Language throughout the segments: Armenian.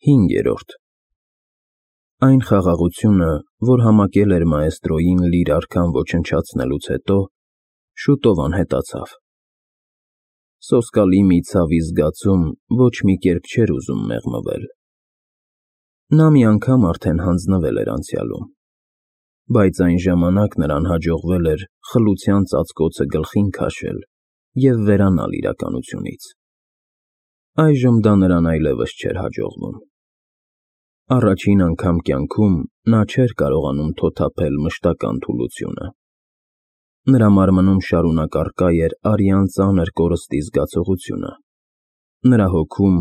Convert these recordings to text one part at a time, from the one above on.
5. Այն խաղաղությունը, որ համակել էր մաեստրոյին լիր արքան ոչնչացնելուց հետո, շուտով անհետացավ։ Սոսկալի մի ցավի զգացում ոչ մի կերպ չէր ուզում մեղմվել։ Նա մի անգամ արդեն հանձնվել էր անցյալում, բայց այն ժամանակ նրան հաջողվել էր խլության ծածկոցը գլխին քաշել և վերանալ իրականությունից։ Այժմ դա նրան այլևս չէր հաջողվում։ Առաջին անգամ կյանքում նա չէր կարողանում թոթափել մշտական թուլությունը։ Նրա մարմնում շարունակ առկա էր արյան ծանր կորստի զգացողությունը, նրա հոգում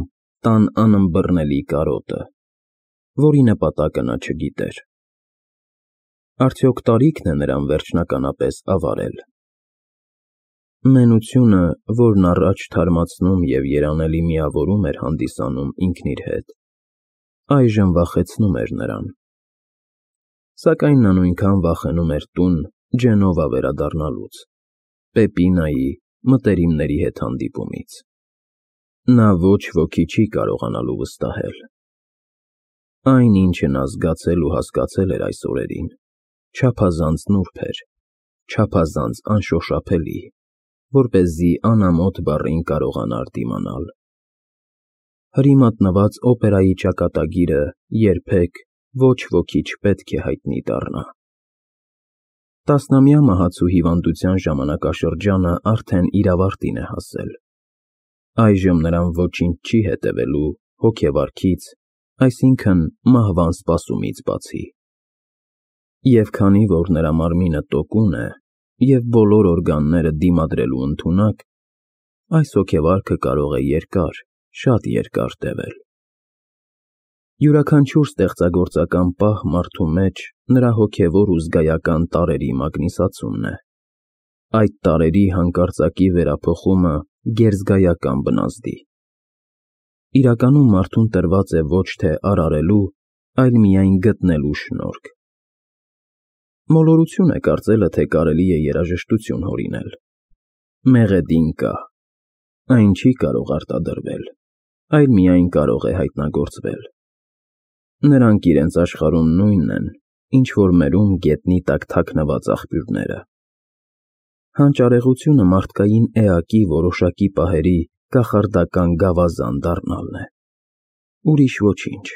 տան անըմբռնելի կարոտը, որի նպատակը նա չգիտեր։ Արդյոք տարի՞քն է նրան վերջնականապես ավարել։ Մենությունը, որն առաջ թարմացնում և երանելի միավորում էր հանդիսանում ինքն իր հետ, այժմ վախեցնում էր նրան։ Սակայն նա նույնքան վախենում էր տուն Ջենովա վերադառնալուց, Պեպինայի մտերիմների հետ հանդիպումից։ Նա ոչ ոքի չի կարողանալու վստահել։ Այն, ինչը նա զգացել ու հասկացել էր այս օրերին, չափազանց նուրբ էր, չափազանց անշոշափելի, որպեսզի անամոթ բառին կարողանար դիմանալ։ Հրի մատնված օպերայի ճակատագիրը երբեք ոչ ոքի չպետք է հայտնի դառնա։ Տասնամյա մահացու հիվանդության ժամանակաշրջանը արդեն իր ավարտին է հասել։ Այժմ նրան ոչինչ չի հետևելու հոգեվարքից, այսինքն մահվան սպասումից բացի։ Եվ քանի որ նրա մարմինը տոկուն է և բոլոր օրգանները դիմադրելու ընդունակ, այս հոգեվարքը կարող է երկար, շատ երկար տևել։ Յուրաքանչյուր ստեղծագործական պահ մարդու մեջ նրա հոգևոր ու զգայական տարրերի մագնիսացումն է։ Այդ տարրերի հանկարծակի վերափոխումը գերզգայական բնազդի։ Իրականում մարդուն տրված է ոչ թե արարելու, այլ միայն գտնելու շնորհք։ Մոլորություն է կարծելը, թե կարելի է երաժշտություն հորինել։ Մեղեդին կա։ Այն չի կարող արտադրվել, այլ միայն կարող է հայտնագործվել։ Նրանք իրենց աշխարհում նույնն են, ինչ որ մերում գետնի տակ թաքնված աղբյուրները։ Հանճարեղությունը մարդկային էակի որոշակի պահերի կախարդական գավազան դառնալն է։ Ուրիշ ոչինչ։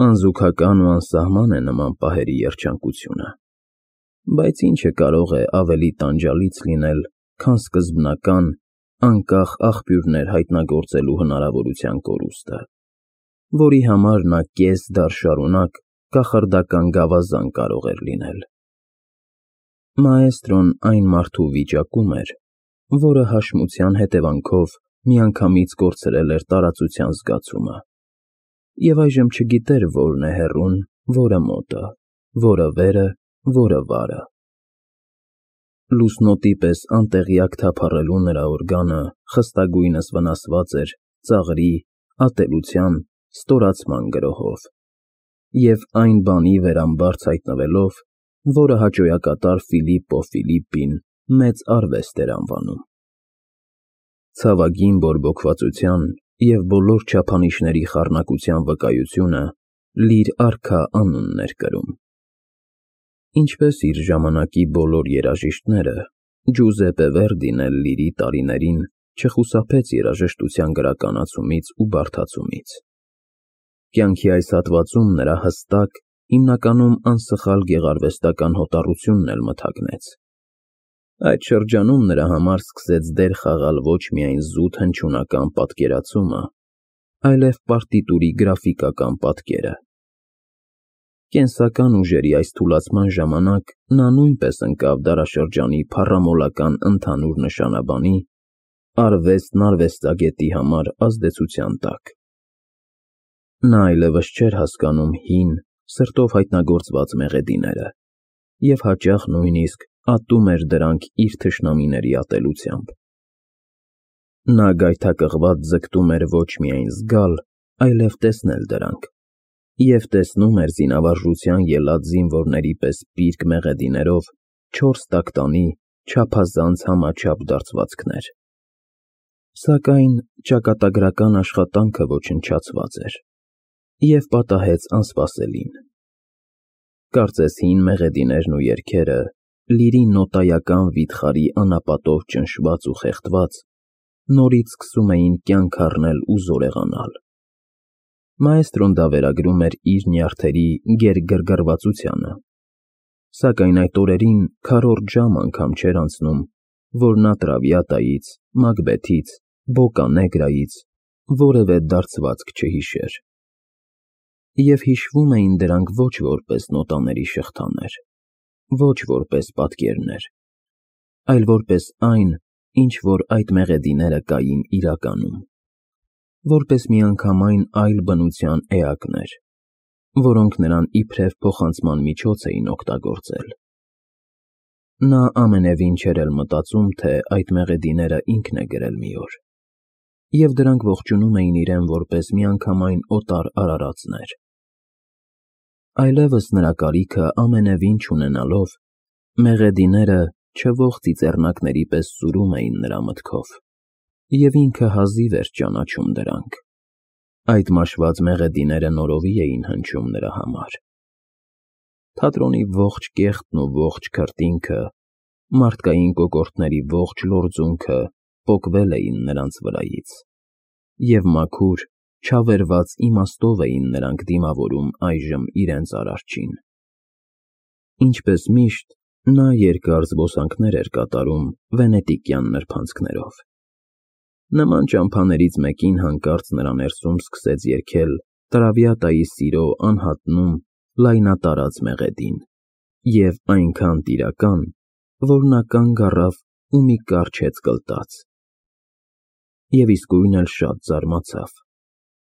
Անզուգական ու անսահման է նման պահերի երջանկությունը, բայց ինչը կարող է ավելի տանջալից լինել, քան սկզբնական, անկախ աղբյուրներ հայտնագործելու հնարավորության կորուստը, որի համար նա կես դար շարունակ կախարդական գավազան կարող էր լինել։ Մաեստրոն այն մարդու վիճակում էր, որը հաշմության հետևանքով միանգամից կորցրել էր տարածության զգացումը, և այժմ չգիտեր որն է հեռուն, որը մոտը, որը վերը, որը վարը։ Լուսնոտի պես անտեղյակ թափառելու նրա օրգանը խստագույնս վնասված էր ծաղրի, ատելության, ստորացման գրոհով և այն բանի վերամբարձ հայտնվելով, որը հաճոյակատար Ֆիլիպպո Ֆիլիպպին մեծ արվեստ էր անվանում։ Ցավագին բորբոքվածության և բոլոր չափանիշների խառնակության վկայությունը լիր արքա անունն էր կրում։ Ինչպես իր ժամանակի բոլոր երաժիշտները, Ջուզեպպե Վերդին էլ լիրի տարիներին չխուսափեց երաժշտության գրականացումից ու բարդացումից։ Կյանքի այս հատվածում նրա հստակ, հիմնականում անսխալ գեղարվեստական հոտառությունն էլ մթագնեց։ Այդ շրջանում նրա համար սկսեց դեր խաղալ ոչ միայն զուտ հնչյունական պատկերացումը, այլև պարտիտուրի գրաֆիկական պատկերը։ Կենսական ուժերի այս թուլացման ժամանակ նա նույնպես ընկավ դարաշրջանի փառամոլական ընդհանուր նշանաբանի, արվեստն արվեստագետի համար ազդեցության տակ։ Նա այլևս չէր հասկանում հին, սրտով հայտնագործված մեղեդիները և հաճախ նույնիսկ ատում էր դրանք իր թշնամիների ատելությամբ։ Նա գայթակղված ձգտում էր ոչ միայն զգալ, այլև տեսնել դրանք, և տեսնում էր զինավարժության ելած զինվորների պես պիրկ մեղեդիներով 4 տակտանի չափազանց համաչափ դարձվածքներ։ Սակայն ճակատագրական աշխատանքը ոչնչացված էր։ և պատահեց անսպասելին։ Կարծես հին մեղեդիներն ու երգերը, լիրի նոտայական վիթխարի անապատով ճնշված ու խեղդված, նորից սկսում էին կյանք առնել ու զորեղանալ։ Մաեստրոն դա վերագրում էր իր նյարդերի գերգռգռվածությանը, սակայն այդ օրերին քառորդ ժամ անգամ չէր անցնում, որ նա Տրավիատայից, Մակբեթից, Բոկանեգրայից որևէ դարձվածք չհիշեր։ Եվ հիշվում էին դրանք ոչ որպես նոտաների շղթաներ, ոչ որպես պատկերներ, այլ որպես այն, ինչ որ այդ մեղեդիները կային իրականում, որպես միանգամայն այլ բնության էակներ, որոնք նրան իբրև փոխանցման միջոց էին օգտագործել։ Նա ամենևին չէր էլ մտածում, թե այդ մեղեդիները ինքն է գրել մի օր, և դրանք ողջունում էին իրեն որպես միանգամայն օտար արարածներ։ Այլևս նրա կարիքը ամենևին չունենալով, մեղեդիները չվող ծիծեռնակների պես սուրում էին նրա մտքով, և ինքը հազիվ էր ճանաչում դրանք։ Այդ մաշված մեղեդիները նորովի էին հնչում նրա համար։ Թատրոնի ողջ կեղտն ու ողջ քրտինքը, մարդկային կոկորդների ողջ լորձունքը պոկվել էին նրանց վրայից, և մաքուր, չավերված իմաստով էին նրանք դիմավորում այժմ իրենց Արարչին։ Ինչպես միշտ, նա երկար զբոսանքներ էր կատարում վենետիկյան նրբանցքներով։ Նման ճամփաներից մեկին հանկարծ նրա ներսում սկսեց երգել Տրավիատայի սիրո անհատնում լայնատարած մեղեդին, և այնքան տիրական, որ նա կանգ առավ ու մի կարճ հեծկլտաց։ Եվ իսկույն էլ շատ զարմացավ.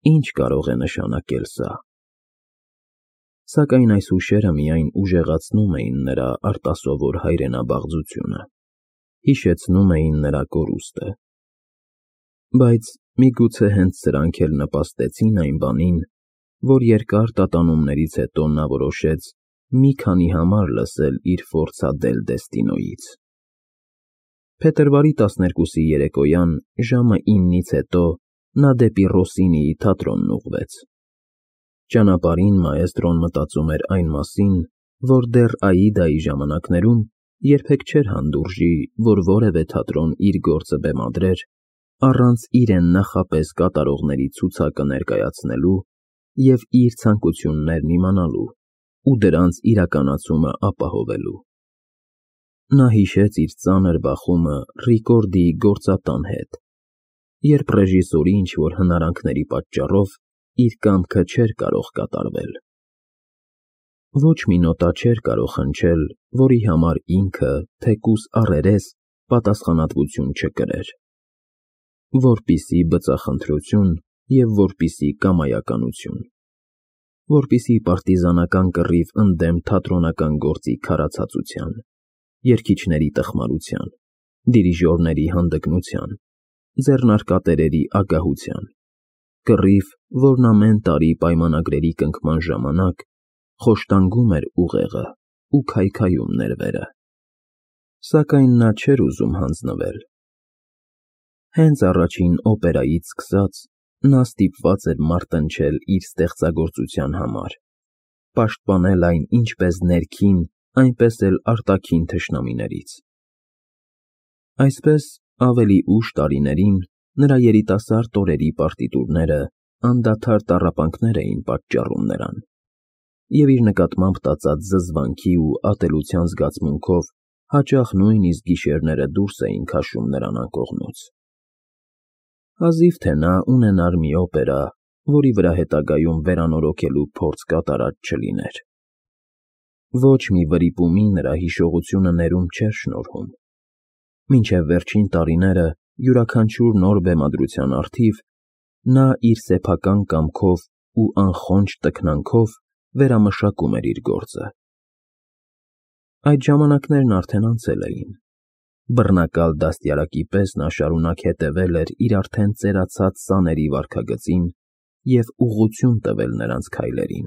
ինչ կարող է նշանակել սա։ Սակայն այս հուշերը միայն ուժեղացնում էին նրա արտասովոր հայրենաբաղձությունը, հիշեցնում էին նրա կորուստը։ Բայց միգուցե հենց սրանք էլ նպաստեցին այն բանին, որ երկար տատանումներից հետո նա որոշեց մի քանի համար լսել իր Ֆորցա դել Դեստինոյից։ Փետրվարի 12-ի երեկոյան ժամը 9-ից հետո նա դեպի Ռոսինիի թատրոնն ուղղվեց։ Ճանապարհին մաեստրոն մտածում էր այն մասին, որ դեռ Աիդայի ժամանակներում երբեք չէր հանդուրժի, որ որևէ թատրոն իր գործը բեմադրեր առանց իրեն նախապես կատարողների ցուցակը ներկայացնելու և իր ցանկություններն իմանալու ու դրանց իրականացումը ապահովելու։ Նա հիշեց իր ծանր բախումը Ռիկորդիի գործատան հետ, երբ ռեժիսորի ինչ-որ հնարանքների պատճառով իր կամքը չէր կարող կատարվել։ Ոչ մի նոտա չէր կարող հնչել, որի համար ինքը, թեկուզ առերես, պատասխանատվություն չկրեր, որպեսզի բծախնդրություն և որպեսզի կամայականություն, որպեսզի պարտիզանական կռիվ ընդդեմ թատրոնական գործի քարացածության, երգիչների տխմարության, դիրիժորների հանդգնության, ձեռնարկատերերի ագահության, կռիվ, որն ամեն տարի պայմանագրերի կնքման ժամանակ խոշտանգում էր ուղեղը ու քայքայում ներվերը։ Սակայն նա չէր ուզում հանձնվել։ Հենց առաջին օպերայից սկսած նա ստիպված էր մարտնչել իր ստեղծագործության համար, պաշտպանել այն ինչպես ներքին, այնպես էլ արտաքին թշնամիներից։ Այսպես, ավելի ուշ տարիներին նրա երիտասարդ օրերի պարտիտուրները անդադար տառապանքներ էին պատճառում նրան, և իր նկատմամբ տածած զզվանքի ու ատելության զգացմունքով հաճախ նույնիսկ գիշերները դուրս էին քաշում նրան անկողնուց։ Հազիվ թե նա ունենար մի օպերա, որի վրա հետագայում վերանորոգելու փորձ կատարած չլիներ։ Ոչ մի վրիպումի նրա հիշողությունը ներում չէր շնորհում։ Մինչև վերջին տարիները յուրաքանչյուր նոր բեմադրության առթիվ նա իր սեփական կամքով ու անխոնջ տքնանքով վերամշակում էր իր գործը։ Այդ ժամանակներն արդեն անցել էին։ Բռնակալ դաստիարակի պես նա շարունակ հետևել էր իր արդեն ծերացած սաների վարքագծին և ուղղություն տվել նրանց քայլերին։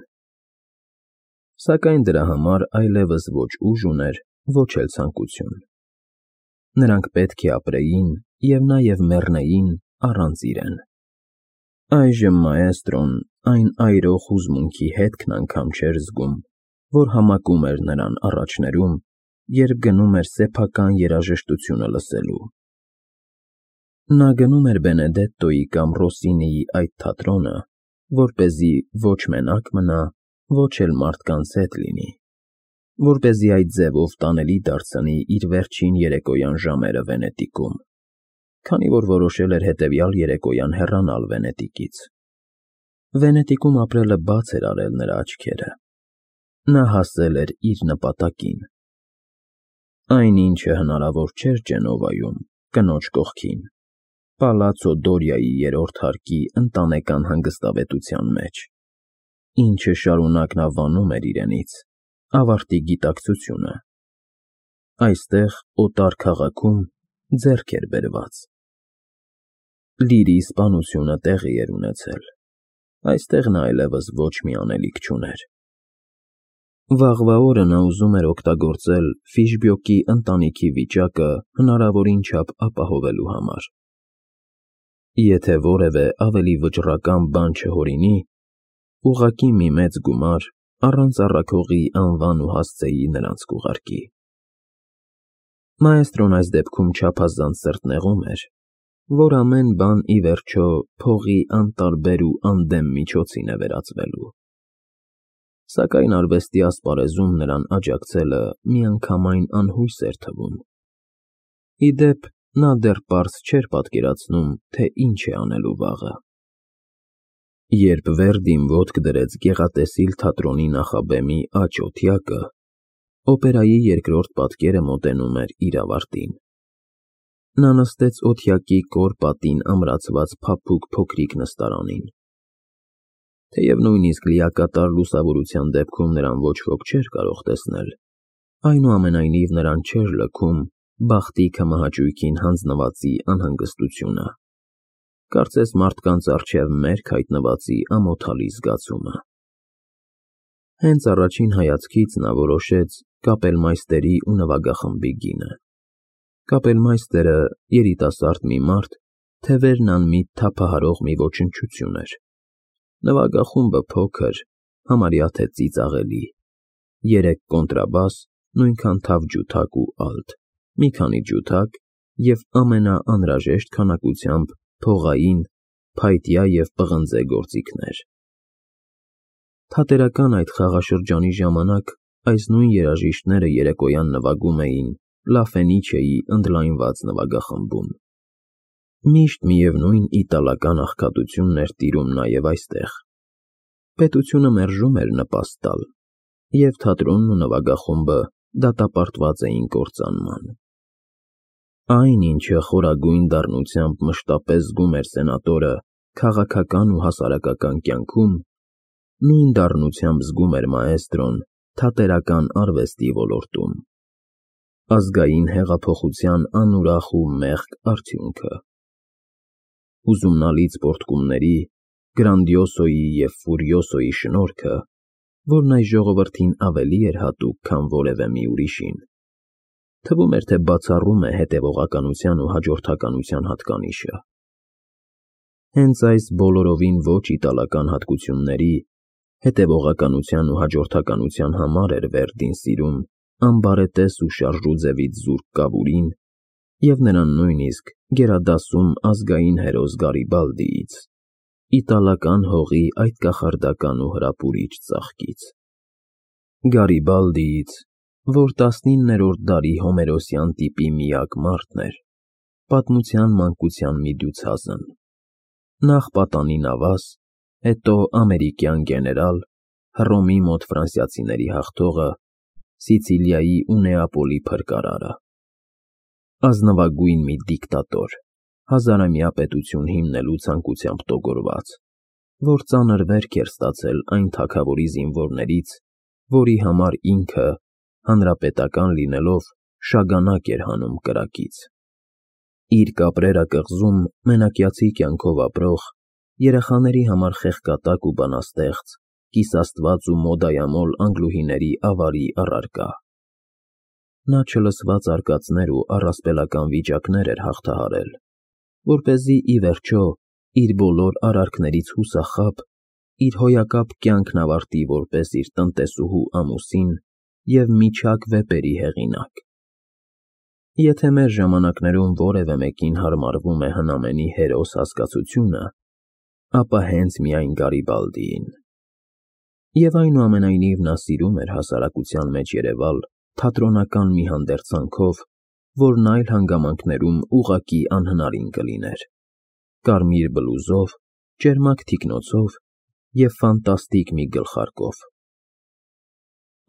Սակայն դրա համար այլևս ոչ ուժ ուներ, ոչ էլ ցանկություն։ Նրանք պետք է ապրեին և նաև մեռնեին առանց իրեն։ Այժմ մաեստրոն այն այրող հուզմունքի հետքն անգամ չէր զգում, որ համակում էր նրան առաջներում, երբ գնում էր սեփական երաժշտությունը լսելու։ Նա գնում էր Բենեդետտոյի կամ Ռոսինիի այդ թատրոնը, որպեսզի ոչ մենակ մնա, ոչ էլ մարդկանց հետ լինի, որպեսզի այդ ձևով տանելի դարձնի իր վերջին երեկոյան ժամերը Վենետիկում, քանի որ որոշել էր հետևյալ երեկոյան հեռանալ Վենետիկից։ Վենետիկում ապրելը բաց էր արել նրա աչքերը։ Նա հասել էր իր նպատակին։ Այն ինչը հնարավոր չէր Ջենովայում, կնոջ կողքին, Պալացո Դորիայի երրորդ հարկի ընտանեկան հանգստավետության մեջ, ինչը շարունակ նա վանում էր իրենից, ավարտի գիտակցությունը։ Այստեղ, օտար քաղաքում, ձեռք էր բերված։ Լիրի սպանությունը տեղի էր ունեցել։ Այստեղ նա այլևս ոչ մի անելիք չուներ։ Վաղվա օրը նա ուզում էր օգտագործել Ֆիշբյոկի ընտանիքի վիճակը հնարավորին չափ ապահովելու համար։ Եթե որևէ ավելի վճռական բան չհորինի, ուղղակի մի մեծ գումար առանց առաքողի անվան ու հասցեի նրանց կուղարկի։ Մաեստրոն այս դեպքում չափազանց սրտնեղում էր, որ ամեն բան ի վերջո փողի անտարբեր ու անդեմ միջոցին է վերածվելու։ Սակայն արվեստի ասպարեզում նրան աջակցելը միանգամայն անհույս էր թվում։ Ի դեպ, նա դեռ պարզ չէր պատկերացնում, թե ինչ է անելու վաղը։ Երբ Վերդին ոտք դրեց գեղատեսիլ թատրոնի նախաբեմի աջ օթյակը, օպերայի երկրորդ պատկերը մոտենում էր իր ավարտին։ Նա նստեց օթյակի կոր պատին ամրացված փափուկ փոքրիկ նստարանին։ Թեև նույնիսկ լիակատար լուսավորության դեպքում նրան ոչ ոք չէր կարող տեսնել, այնուամենայնիվ նրան չէր լքում բախտի քմահաճույքին հանձնվածի անհանգստությունը, կարծես մարդկանց առջև մերկ հայտնվածի ամոթալի զգացումը։ Հենց առաջին հայացքից նա որոշեց կապելմայստերի ու նվագախմբի գինը։ Կապելմայստերը, երիտասարդ մի մարդ, թևերն անմիտ թափահարող մի ոչնչություն էր։ Նվագախումբը փոքր, համարյա թե ծիծաղելի, 3 կոնտրաբաս, նույնքան թավ ջութակ ու ալտ, մի քանի ջութակ և ամենաանհրաժեշտ քանակությամբ փողային, փայտյա և պղնձե գործիքներ։ Թատերական այդ խաղաշրջանի ժամանակ այս նույն երաժիշտները երեկոյան նվագում էին Լա Ֆենիչեի ընդլայնված նվագախմբում։ Միշտ միևնույն իտալական աղքատությունն էր տիրում նաև այստեղ։ Պետությունը մերժում էր նպաստ տալ, և թատրոնն ու նվագախումբը դատապարտված էին կործանման։ Այն, ինչը խորագույն դառնությամբ մշտապես զգում էր սենատորը քաղաքական ու հասարակական կյանքում, նույն դառնությամբ զգում էր մաեստրոն թատերական արվեստի ոլորտում։ Ազգային հեղափոխության անուրախ ու մեղք արդյունքը։ Հուզումնալից պոռթկումների, Գրանդիոսոյի և Ֆուրիոսոյի շնորհքը, որն այս ժողովրդին ավելի էր հատուկ, քան որևէ մի ուրիշին, թվում էր, թե բացառում է հետևողականության ու հաջորդականության հատկանիշը։ Հենց այս բոլորովին ոչ իտալական հատկությունների, հետևողականության ու հաջորդականության համար էր Վերդին սիրում ամբարետես ու շարժուձևից զուրկ կավուրին և նրան նույնիսկ գերադասում ազգային հերոս Գարիբալդիից, իտալական հողի այդ կախարդական ու հրապուրիչ ծաղկից։ Գարիբալդիից, որ 19-րդ դարի հոմերոսյան տիպի միակ մարդն էր, պատմության մանկության մի դյուցազն, նախ պատանի նավազ, հետո ամերիկյան գեներալ, Հռոմի մոտ ֆրանսիացիների հաղթողը, Սիցիլիայի ու Նեապոլի փրկարարը, ազնվագույն մի դիկտատոր, հազարամյա պետություն հիմնելու ցանկությամբ տոգորված, որ ծանր վերք էր ստացել այն թագավորի զինվորներից, որի համար ինքը, հանրապետական լինելով, շագանակ էր հանում կրակից։ Իր Կապրերա կղզում մենակյացի կյանքով ապրող, երեխաների համար խեղկատակ ու բանաստեղծ, կիսաստված ու մոդայամոլ անգլուհիների ավարի առարկա։ Նա չլսված արկածներ ու առասպելական վիճակներ էր հաղթահարել, որպեսզի ի վերջո իր բոլոր արարքներից հուսախաբ, իր հոյակապ կյանքն ավարտի որպես իր տնտեսուհու ամուսին և միջակ վեպերի հեղինակ։ Եթե մեր ժամանակներում որևէ մեկին հարմարվում է հնամենի հերոս հասկացությունը, ապա հենց միայն Գարիբալդիին։ Եվ այնուամենայնիվ նա սիրում էր հասարակության մեջ երևալ թատրոնական մի հանդերձանքով, որն այլ հանգամանքներում ուղղակի անհնարին կլիներ, կարմիր բլուզով, ճերմակ թիկնոցով և ֆանտաստիկ մի գլխարկով։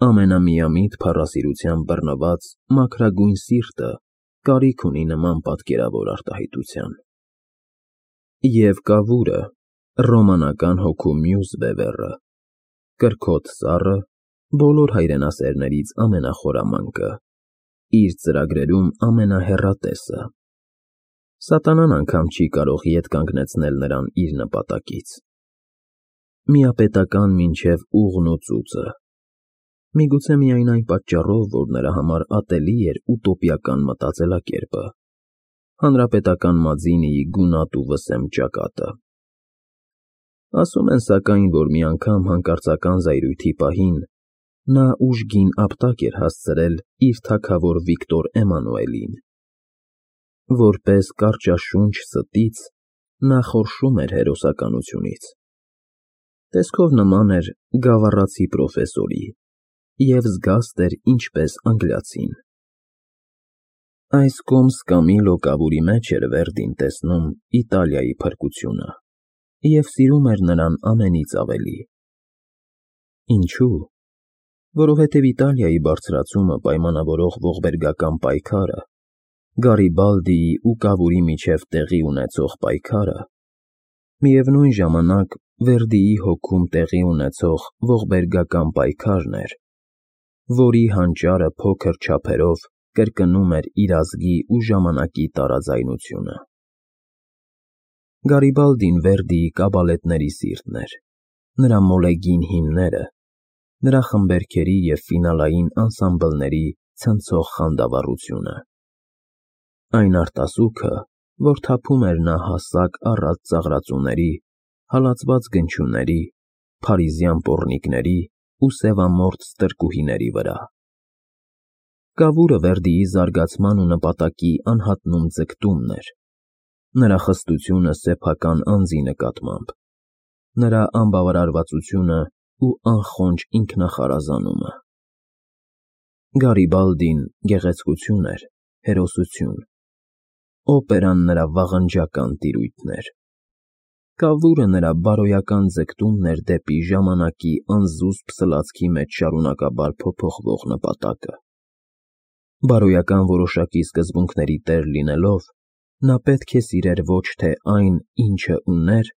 Ամենամիամիտ փառասիրությամբ բռնված մաքրագույն սիրտը կարիք ունի նման պատկերավոր արտահայտության։ Եվ կավուրը, ռոմանական հոգու մյուս բևեռը, կրքոտ սառը, բոլոր հայրենասերներից ամենախորամանկը, իր ծրագրերում ամենահեռատեսը։ Սատանան անգամ չի կարող ետ կանգնեցնել նրան իր նպատակից։ Միապետական մինչև ուղն ու ծուծը։ Միգուցե միայն այն պատճառով, որ նրա համար ատելի էր ուտոպիական մտածելակերպը, հանրապետական Մաձինիի գունատ ու վսեմ ճակատը։ Ասում են սակայն, որ մի անգամ հանկարծական զայրույթի պահին նա ուժգին ապտակ էր հասցրել իր թագավոր Վիկտոր Էմանուելին։ Որպես կարճաշունչ ստից նա խորշում էր հերոսականությունից։ Տեսքով նման էր գավառացի պրոֆեսորի և զգաստ էր ինչպես անգլիացին։ Այս կոմս Կամիլո կավուրի մեջ էր Վերդին տեսնում Իտալիայի փրկությունը և սիրում էր նրան ամենից ավելի։ Ինչու՞։ Որովհետև Իտալիայի բարձրացումը պայմանավորող ողբերգական պայքարը, Գարիբալդիի ու կավուրի միջև տեղի ունեցող պայքարը, միևնույն ժամանակ Վերդիի հոգում տեղի ունեցող ողբերգական պայքարն էր, որի հանճարը փոքր չափերով կրկնում էր իր ազգի ու ժամանակի տարաձայնությունը։ Գարիբալդին Վերդիի կաբալետների սիրտն էր, նրա մոլեգին հիմները, նրա խմբերգերի և ֆինալային անսամբլների ցնցող խանդավառությունը։ Այն արտասուքը, որ թափում էր նա հասակ առատ ծաղրածուների, հալածված գնչուների, փարիզյան պոռնիկների ու սևամորթ ստրկուհիների վրա։ Կավուրը Վերդիի զարգացման ու նպատակի անհատնում ձգտումն էր, նրա խստությունը սեփական անձի նկատմամբ, նրա անբավարարվածությունը ու անխոնջ ինքնախարազանումը։ Գարիբալդին գեղեցկություն էր, հերոսություն, օպերան նրա վաղնջական տիրույթն էր, կավուրը նրա բարոյական ձգտումն էր դեպի ժամանակի անզուսպ սլացքի մեջ շարունակաբար փոփոխվող նպատակը։ Բարոյական որոշակի սկզբունքների տեր լինելով, նա պետք է սիրեր ոչ թե այն, ինչը ուներ,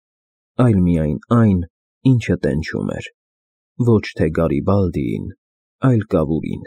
այլ միայն այն, ինչը տենչում էր, ոչ թե Գարիբալդիին, այլ կավուրին։